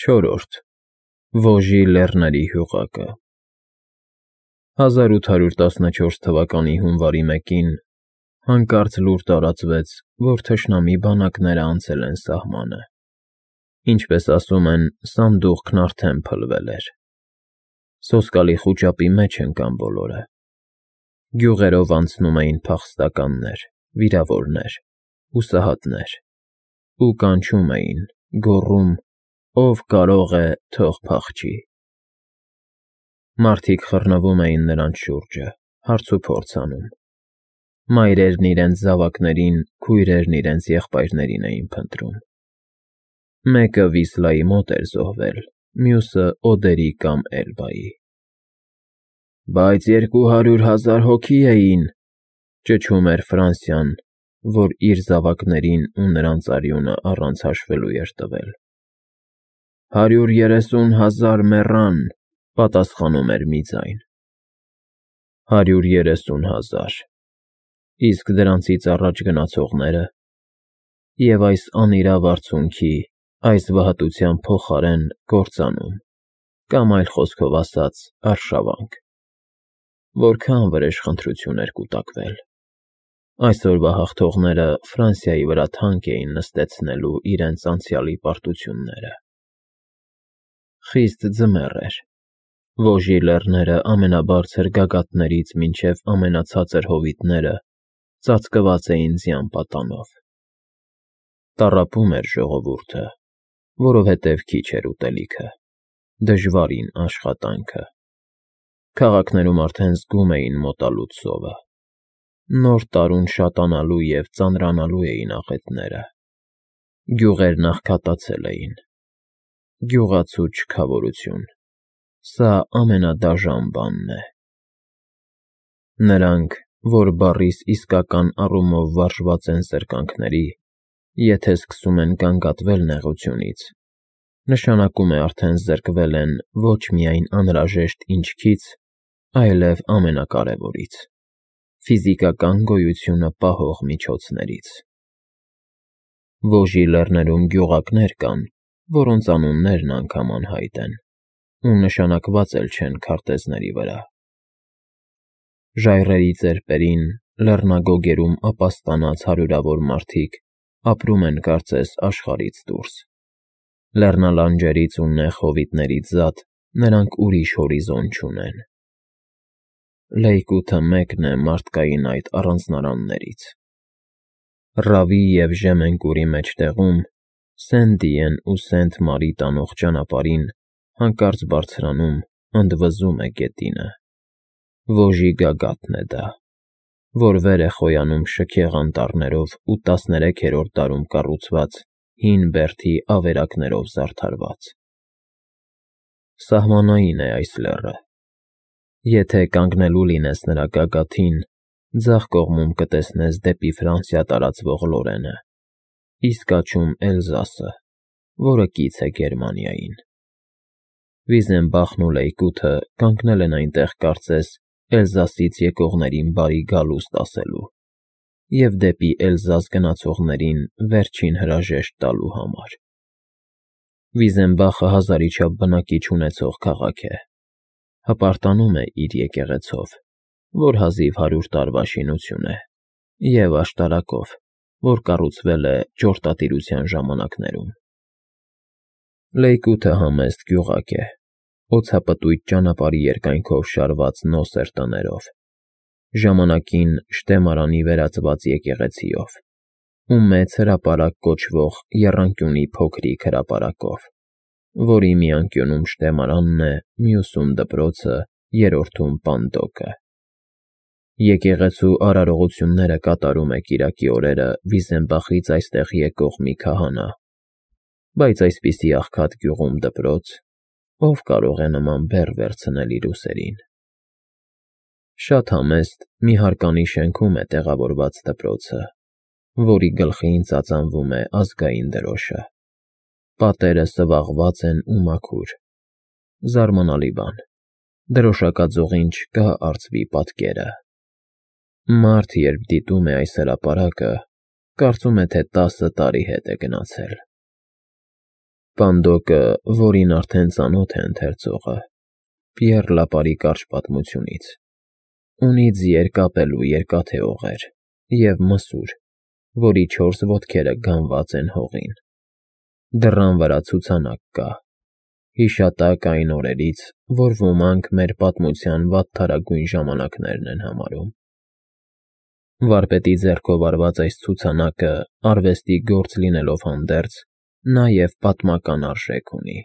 Չորրորդ Վոժի լեռների հյուղակը 1814 թվականի հունվարի 1-ին հանկարծ լուր տարածվեց, որ թշնամի բանակները անցել են սահմանը։ Ինչպես ասում են, սանդուղքն արդեն փլվել էր։ Սոսկալի խուճապի մեջ ընկան բոլորը։ Գյուղերով անցնում էին փախստականներ, վիրավորներ, հուսահատներ ու կանչում էին, գոռում. «Ով կարող է, թող փախչի»։ Մարդիկ խռնվում էին նրանց շուրջը, հարցուփորձ անում։ Մայրերն իրենց զավակներին, քույրերն իրենց եղբայրներին էին փնտրում։ Մեկը Վիսլայի մոտ էր զոհվել, մյուսը Օդերի կամ Էլբայի։ «Բայց 200,000 հոգի էին», ճչում էր Ֆրանսիան, որ իր զավակներին ու նրանց արյունը առանց հաշվելու էր տվել։ «130,000 մեռան», պատասխանում էր մի ձայն։ 130,000, իսկ դրանցից առաջ գնացողները։ Եվ այս անիրավ արցունքի, այս վհատության փոխարեն կործանում, կամ այլ խոսքով ասած՝ արշավանք։ Որքան վրեժխնդրություն էր կուտակվել։ Այսօրվա հաղթողները Ֆրանսիայի վրա թանկ էին նստեցնելու իրենց անցյալի պարտությունները։ Խիստ ձմեռ էր։ Վոժի լեռները ամենաբարձր գագաթներից մինչև ամենացածր հովիտները ծածկված էին ձյան պատանով։ Տառապում էր ժողովուրդը, որովհետև քիչ էր ուտելիքը, դժվարին աշխատանքը։ Քաղաքներում արդեն զգում էին մոտալուտ սովը։ Նոր տարուն շատանալու և ծանրանալու էին աղետները։ Գյուղերն աղքատացել էին։ Գյուղացու չքավորություն, սա ամենադաժան բանն է։ Նրանք, որ բառիս իսկական առումով վարժված են սրկանքների, եթե սկսում են գանգատվել նեղությունից, նշանակում է արդեն զրկվել են ոչ միայն անհրաժեշտ ինչքից, այլև ամենակարևորից՝ ֆիզիկական գոյությունը պահող միջոցներից։ Վոժի լեռներում գյուղակներ կան, որոնց անուններն անգամ անհայտ են ու նշանակված էլ չեն քարտեզների վրա։ Ժայռերի ծեպերին, լեռնագոգերում ապաստանած հարյուրավոր մարդիկ ապրում են կարծես աշխարհից դուրս։ Լեռնալանջերից ու նեղ հովիտներից զատ նրանք ուրիշ հորիզոն չունեն։ Լեյկութը մեկն է մարդկային այդ առանձնարաններից։ Ռավի և Ժեմենկուրի մեջտեղում, Սեն-Դիեն ու Սենտ-Մարի տանող ճանապարհին հանկարծ բարձրանում, ընդվզում է գետինը։ Վոժի գագաթն է դա, որ վեր է խոյանում շքեղ անտառներով ու 13-րդ դարում կառուցված հին բերդի ավերակներով զարդարված։ Սահմանային է այս լեռը։ Եթե կանգնելու լինես նրա գագաթին, ձախ կողմում կտեսնես դեպի Ֆրանսիա տարածվող Լորենը, իսկ աջում Էլզասը, որը կից է Գերմանիային։ Վիզենբախն ու Լեյկութը կանգնել են այնտեղ կարծես Էլզասից եկողներին բարի գալուստ ասելու և դեպի Էլզաս գնացողներին վերջին հրաժեշտ տալու համար։ Վիզենբախը հազարի չափ բնակիչ ունեցող քաղաք է։ Հպարտանում է իր եկեղեցով, որ հազիվ 100 տարվա շինություն է, և աշտարակով, որ կառուցվել է ճորտատիրության ժամանակներում։ Լեյկութը համեստ գյուղակ է, օձապտույտ ճանապարհի երկայնքով շարված նոսր տներով, ժամանակին շտեմարանի վերածված եկեղեցիով ու մեծ հրապարակ կոչվող եռանկյունի փոքրիկ հրապարակով, որի մի անկյունում շտեմարանն է, մյուսում դպրոցը, երրորդում պանդոկը։ Եկեղեցու արարողությունները կատարում է կիրակի օրերը Վիզենբախից այստեղ եկող մի քահանա, բայց այսպիսի աղքատ գյուղում դպրոց, ով կարող է նման բեռ վերցնել իր ուսերին։ Շատ համեստ մի հարկանի շենքում է տեղավորված դպրոցը, որի գլխին ծածանվում է ազգային դրոշը։ Պատերը սվաղված են ու մաքուր։ Զարմանալի բան, դրոշակաձողին չկա արծվի պատկերը։ Մարդ, երբ դիտում է այս հրապարակը, կարծում է, թե 10 տարի հետ է գնացել։ Պանդոկը, որին արդեն ծանոթ է ընթերցողը, Պիեռ Լապարի կարճ պատմությունից, ունի ձիեր կապելու երկաթե օղեր և մսուր, որի 4 ոտքերը գանված են հողին։ Դռան վրա ցուցանակ կա, հիշատակ այն օրերից, որ ոմանք մեր պատմության վատթարագույն ժամանակներն են համարում։ Վարպետի ձեռքով արված այս ցուցանակը, արվեստի գործ լինելով հանդերձ, նաև պատմական արժեք ունի։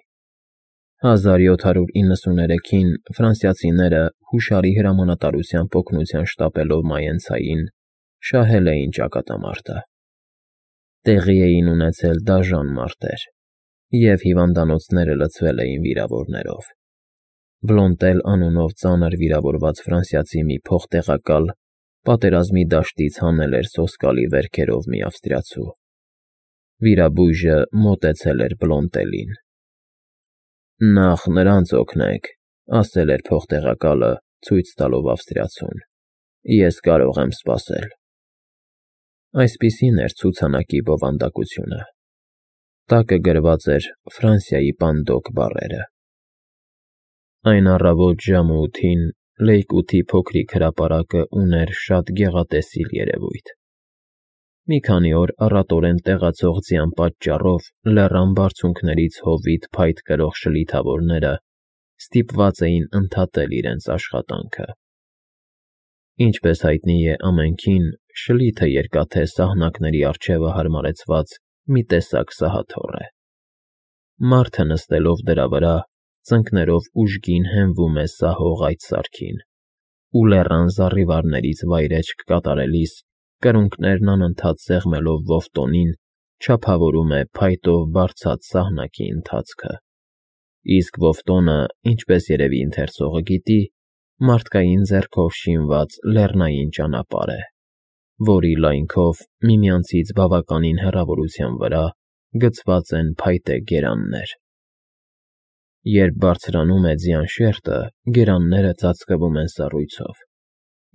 1793-ին ֆրանսիացիները հուշարի հրամանատարությամբ օգնության շտապելով Մայենցային շահել էին ճակատամարտը։ Տեղի էին ունեցել դաժան մարտեր, և հիվանդանոցները լցվել էին վիրավորներով։ Բլոնտել անունով ծանր վիրավորված ֆրանսիացի մի փոխտեղակալ պատերազմի դաշտից հանել էր սոսկալի վերքերով մի ավստրիացու։ Վիրաբույժը մոտեցել էր Բլոնտելին։ «Նախ նրանց օգնեք», ասել էր փոխտեղակալը, ցույց տալով ավստրիացուն։ «Ես կարող եմ սպասել»։ Այսպիսին էր ցուցանակի բովանդակությունը։ Տակը գրված էր «Ֆրանսիայի Պանդոկ» բառերը։ Այն առավոտ ժամը 8-ին Լեյկութի փոքրիկ հրապարակը ուներ շատ գեղատեսիլ երևույթ։ Մի քանի օր առատորեն տեղացող ձյան պատճառով լեռան բարձունքներից հովիտ փայտ կրող շլիթավորները ստիպված էին ընդհատել իրենց աշխատանքը։ Ինչպես հայտնի է ամենքին, շլիթը երկաթե սահնակների առջևը հարմարեցված մի տեսակ սահաթոռ է։ Մարդը նստելով դրա վրա, ծնկներով ուժգին հենվում է սահող այդ սարքին, ու լեռան զառիվարներից վայրէջք կատարելիս կրունկներն անընդհատ սեղմելով ոֆտոնին չափավորում է փայտով բարձած սահնակի ընթացքը։ Իսկ ոֆտոնը, ինչպես երևի ընթերցողը գիտի, մարդկային ձեռքով շինված լեռնային ճանապարհ է, որի լայնքով միմյանցից բավականին հեռավորության վրա գծված են փայտե գերաններ։ Երբ բարձրանում է ձյան շերտը, գերանները ծածկվում են սառույցով,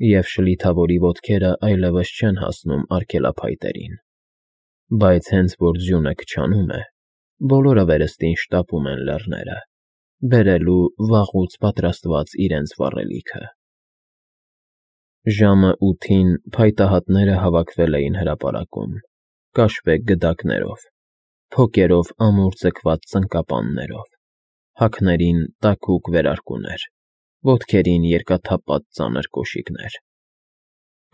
և շլիթավորի ոտքերը այլևս չեն հասնում արգելափայտերին։ Բայց հենց որ ձյունը քչանում է, բոլորը վերստին շտապում են լեռները, բերելու վաղուց պատրաստված իրենց վառելիքը։ Ժամը 8-ին փայտահատները հավաքվել էին հրապարակում, կաշվե գդակներով, փոկերով ամուր ձգված ծնկապաններով, հագներին տաքուկ վերարկուներ, ոտքերին երկաթափած ծանր կոշիկներ։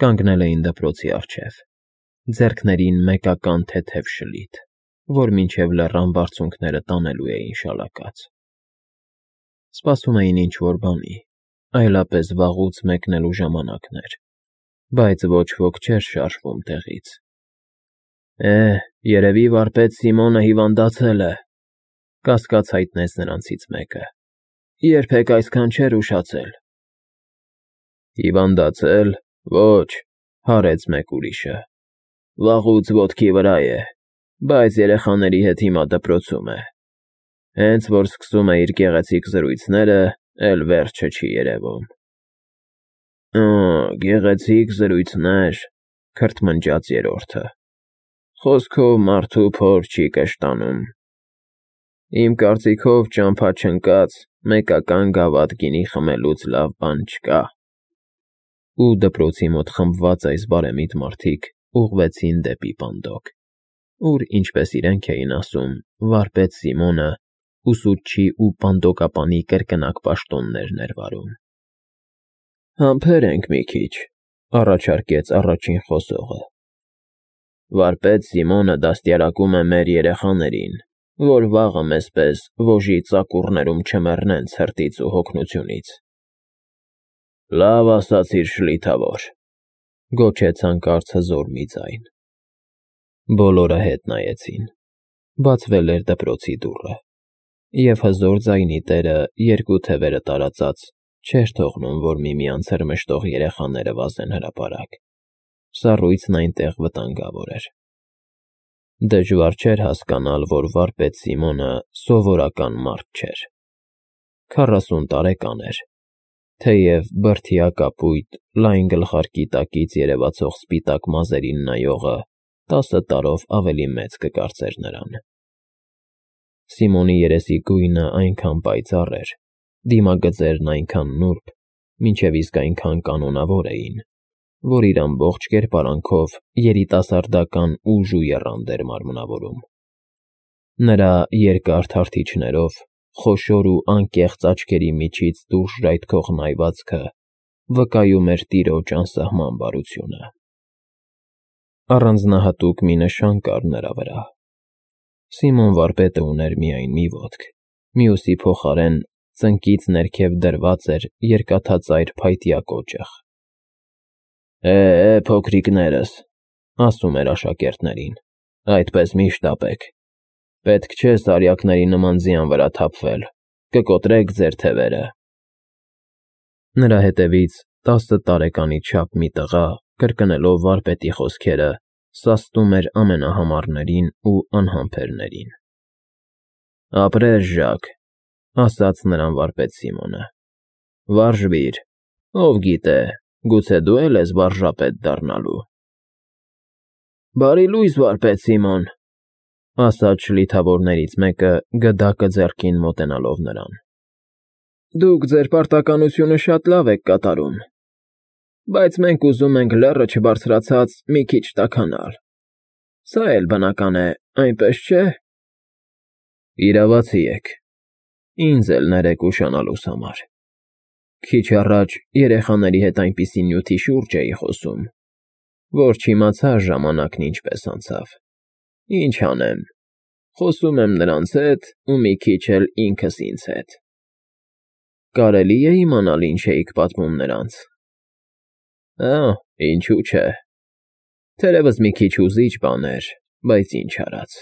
Կանգնել էին դպրոցի առջև, ձեռքներին մեկական թեթև շլիթ, որ մինչև լեռան բարձունքները տանելու էին շալակած։ Սպասում էին ինչ-որ բանի, այլապես վաղուց մեկնելու ժամանակն էր, բայց ոչ ոք չէր շարժվում տեղից։ Երևի վարպետ Սիմոնը հիվանդացել է, կասկած հայտնեց նրանցից մեկը։ Երբեք այսքան չէր ուշացել։ Հիվանդացել։ Ոչ, հարեց մեկ ուրիշը։ Վաղուց ոտքի վրա է, բայց երեխաների հետ հիմա դպրոցում է։ Հենց որ սկսում է իր գեղեցիկ զրույցները, էլ վերջը չի երևում։ Գեղեցիկ զրույցներ, քրթմնջաց երրորդը։ Խոսքով մարդու փոր չի կշտանում։ Իմ կարծիքով ճամփա չընկած մեկական գավաթ գինի խմելուց լավ բան չկա։ Ու դպրոցի մոտ խմբված այս բարեմիտ մարդիկ ուղղվեցին դեպի Պանդոկ, ուր, ինչպես իրենք էին ասում, վարպետ Սիմոնը ուսուցչի ու պանդոկապանի կրկնակ պաշտոններն էր վարում։ Համբերենք մի քիչ, առաջարկեց առաջին խոսողը։ Վարպետ Սիմոնը դաստիարակում է մեր երեխաներին, որ վաղը մեզպես ոժի ծակուռներում չմեռնեն ցրտից ու հոգնությունից։ Լավ ասացիր, շլիթավոր, գոչեց հանկարծ հզոր մի ձայն։ Բոլորը հետ նայեցին։ Բացվել էր դպրոցի դուռը, և հզոր ձայնի տերը երկու թևերը տարածած չէր թողնում, որ միմյանց հրմշտող երեխաները վազեն հրապարակ։ Սառույցն այնտեղ վտանգավոր էր։ Դժվար չէր հասկանալ, որ վարպետ Սիմոնը սովորական մարդ չէր։ 40 տարեկան էր, թեև բրդյա կապույտ, լայն գլխարկի տակից երևացող սպիտակ մազերին նայողը 10 տարով ավելի մեծ կկարծեր նրան։ Սիմոնի երեսի գույնը այնքան պայծառ էր, դիմագծերն այնքան նուրբ, մինչև իսկ այնքան կանոնավոր էին, որ իր ամբողջ կերպարանքով երիտասարդական ուժ ու եռանդ էր մարմնավորում։ Նրա երկար թարթիչներով, խոշոր ու անկեղծ աչքերի միջից դուրս ժայթքող նայվածքը վկայում էր տիրոջ անսահման բարությունը։ Առանձնահատուկ մի նշան կար նրա վրա։ Սիմոն վարպետը ուներ միայն մի ոտք, մյուսի փոխարեն ծնկից ներքև դրված էր երկաթածայր փայտյա կոճղ։ Փոքրիկներս, ասում էր աշակերտներին, այդպես մի շտապեք։ Պետք չէ սարյակների նման ձյան վրա թափվել, կկոտրեք ձեր թևերը։ Նրա հետևից 10 տարեկանի չափ մի տղա, կրկնելով վարպետի խոսքերը, սաստում էր ամենահամառներին ու անհամբերներին։ Ապրես, Ժակ, ասաց նրան վարպետ Սիմոնը։ Վարժվիր, ով գիտե, գուցե դու էլ ես վարժապետ դառնալու։ Բարի լույս, վարպետ Սիմոն, ասաց շլիթավորներից մեկը, գդակը ձեռքին մոտենալով նրան։ Դուք ձեր պարտականությունը շատ լավ եք կատարում, բայց մենք ուզում ենք լեռը չբարձրացած մի քիչ տաքանալ։ Սա էլ բնական է, այնպես չէ։ Իրավացի եք, ինձ էլ ներեք ուշանալուս համար։ Քիչ առաջ երեխաների հետ այնպիսի նյութի շուրջ էի խոսում, որ չիմացա ժամանակն ինչպես անցավ։ Ինչ անեմ, խոսում եմ նրանց հետ ու մի քիչ էլ ինքս ինձ հետ։ Կարելի է իմանալ ինչ էիք պատմում նրանց։ Ինչու՞ չէ։ Թերևս մի քիչ հուզիչ բան էր, բայց ինչ արած։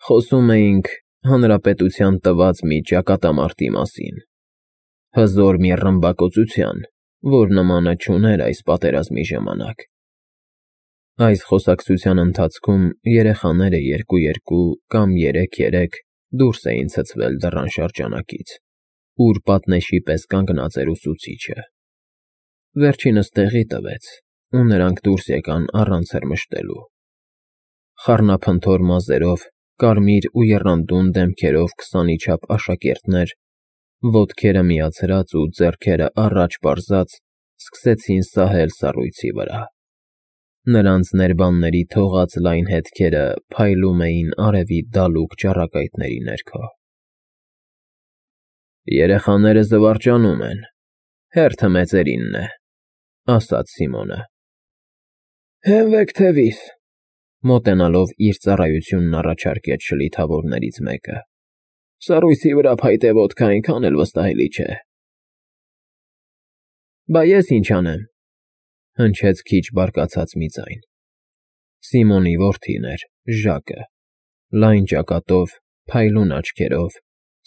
Խոսում էինք հանրապետության տված մի ճակատամարտի մասին, հզոր մի ռմբակոծության, որ նմանը չուներ այս պատերազմի ժամանակ։ Այս խոսակցության ընթացքում երեխաները երկու կամ 3 դուրս էին ցցվել դռան շրջանակից, ուր պատնեշի պես կանգնած էր ուսուցիչը։ Վերջինս տեղի տվեց, ու նրանք դուրս եկան առանց հրմշտելու։ Խառնափնթոր մազերով, կարմիր ու եռանդուն դեմքերով 20-ի չափ աշակերտներ, ոտքերը միացրած ու ձեռքերը առաջ պարզած, սկսեցին սահել սառույցի վրա։ Նրանց ներբանների թողած լայն հետքերը փայլում էին արևի դալուկ ճառագայթների ներքո։ Երեխաները զվարճանում են, հերթը մեծերինն է, ասաց Սիմոնը։ Հենվեք թևիս, մոտենալով իր ծառայությունն առաջարկեց շլիթավորներից մեկը։ Սառույցի վրա փայտե ոտքը այնքան էլ վստահելի չէ։ Բա ես ինչ անեմ, հնչեց քիչ բարկացած մի ձայն։ Սիմոնի որդին էր, Ժակը, լայն ճակատով, փայլուն աչքերով,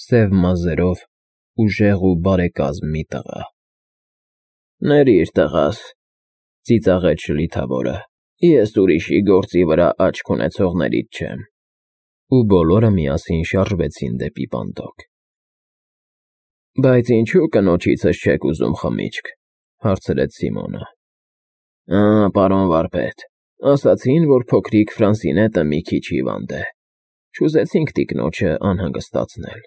սև մազերով, ուժեղ ու բարեկազմ մի տղա։ Ներիր, տղաս, ծիծաղեց շլիթավորը, ես ուրիշի գործի վրա աչք ունեցողներից չեմ։ Ու բոլորը միասին շարժվեցին դեպի պանդոկ։ Բայց ինչու կնոջիցս չեք ուզում խմիչք, հարցրեց Սիմոնը։ Պարոն վարպետ, ասացին, որ փոքրիկ Ֆրանսինետը մի քիչ հիվանդ է։ Չուզեցինք տիկնոջը անհանգստացնել։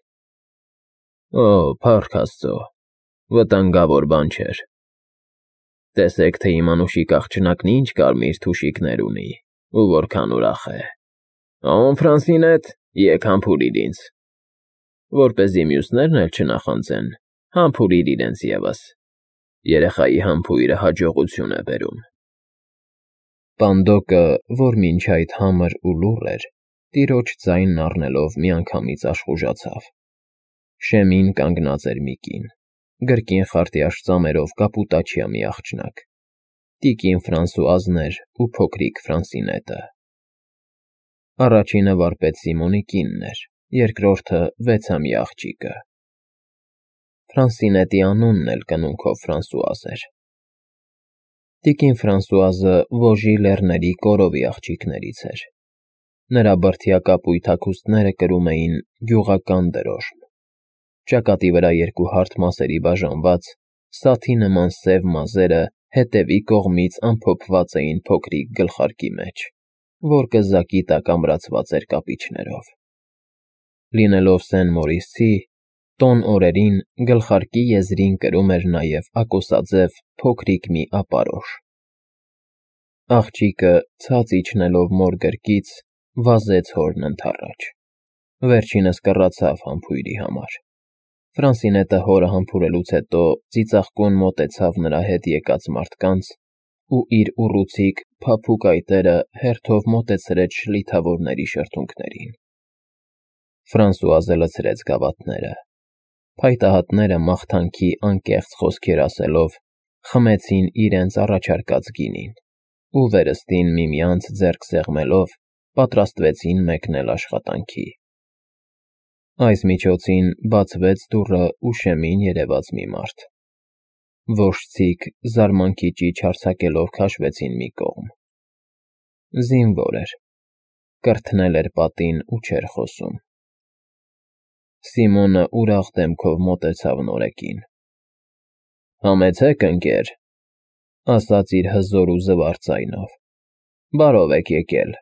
Փառք Աստծո, վտանգավոր բան չէր։ Տեսեք, թե իմ անուշիկ աղջնակն ինչ կարմիր թուշիկներ ունի, ու որքան ուրախ է։ Ֆրանսինետ, եկ համբուրիր ինձ։ Որպեսզի մյուսներն էլ չնախանձեն, համբուրիր իրենց ևս։ Երեխայի համբույրը հաջողություն է բերում։ Պանդոկը, որ մինչ այդ համր ու լուռ էր, տիրոջ ձայնն առնելով միանգամից աշխուժացավ։ Շեմին կանգնած էր մի կին, գրկին խարտյաշ ծամերով կապուտաչյա մի աղջնակ։ Տիկին Ֆրանսուազն էր ու փոքրիկ Ֆրանսինետը։ Առաջինը վարպետ Սիմոնի կինն էր, երկրորդը 6-ամյա աղջիկը։ Ֆրանսինետի անունն էլ կնունքով Ֆրանսուազ էր։ Տիկին Ֆրանսուազը Վոժի լեռների կորովի աղջիկներից էր։ Նրա բրդյա կապույտ հագուստները կրում էին գյուղական դրոշմ։ Ճակատի վրա 2 հարթ մասերի բաժանված, սաթի նման սև մազերը հետևի կողմից ամփոփված էին փոքրիկ գլխարկի մեջ, որ կզակի տակ ամրացված էր կապիչներով։ Լինելով Սեն Մորիսի, տոն օրերին գլխարկի եզրին կրում էր նաև ակոսաձև փոքրիկ մի ապարոշ։ Աղջիկը ցած իջնելով մոր գրկից վազեց հորն ընդառաջ։ Վերջինս կռացավ համբույրի համար։ Ֆրանսինետը հորը համբուրելուց հետո ծիծաղկուն մոտեցավ նրա հետ եկած մարդկանց ու իր ուռուցիկ փափուկ այտերը հերթով մոտեցրեց շլիթավորների շրթունքներին։ Ֆրանսուազը լցրեց գավաթները։ Փայտահատները մաղթանքի անկեղծ խոսքեր ասելով խմեցին իրենց առաջարկած գինին ու վերստին միմյանց ձեռք սեղմելով պատրաստվեցին մեկնել աշխատանքի։ Այս միջոցին բացվեց դուռը ու շեմին երևաց մի մարդ։ Որջցիկ զարմանքի ճիչ արձակելով քաշվեցին մի կողմ։ Զինվոր էր, կրթնել էր պատին ու չէր խոսում։ Սիմոնը ուրախ դեմքով մոտեցավ նորեկին։ «Համեցեք, ընկեր», ասաց իր հզոր ու զվարթ ձայնով։ «Բարով եք եկել»։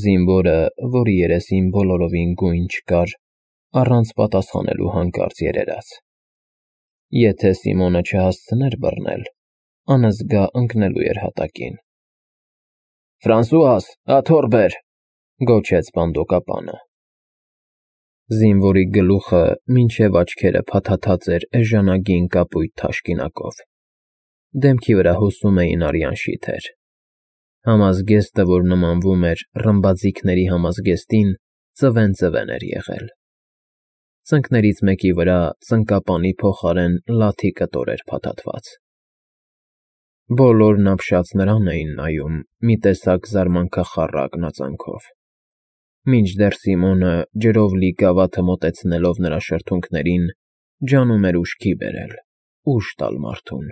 Զինվորը, որի երեսին բոլորովին գույն չկար, առանց պատասխանելու հանկարծ երերաց։ Եթե Սիմոնը չհասցներ բռնել, անզգա ընկնելու էր հատակին։ «Ֆրանսուաս, աթոռ բեր», գոչեց բանդոկապանը։ Զինվորի գլուխը մինչև աչքերը փաթաթած էր էժանագին կապույտ թաշկինակով։ Դեմքի վրա հոսում էին արյան շիթեր։ Համազգեստը, որ նմանվում էր ռմբաձիգների համազգեստին, ծվեն էր եղել։ Ծնկներից մեկի վրա ծնկապանի փոխարեն լաթի կտոր էր փաթաթված։ Բոլորն ապշած նրան էին նայում մի տեսակ զարմանքախառակ նածանքով։ Մինչդեռ Սիմոնը ջրով լի գավաթը մոտեցնելով նրա շրթունքներին, ջանում էր ուշքի բերել, ուժ տալ մարդուն։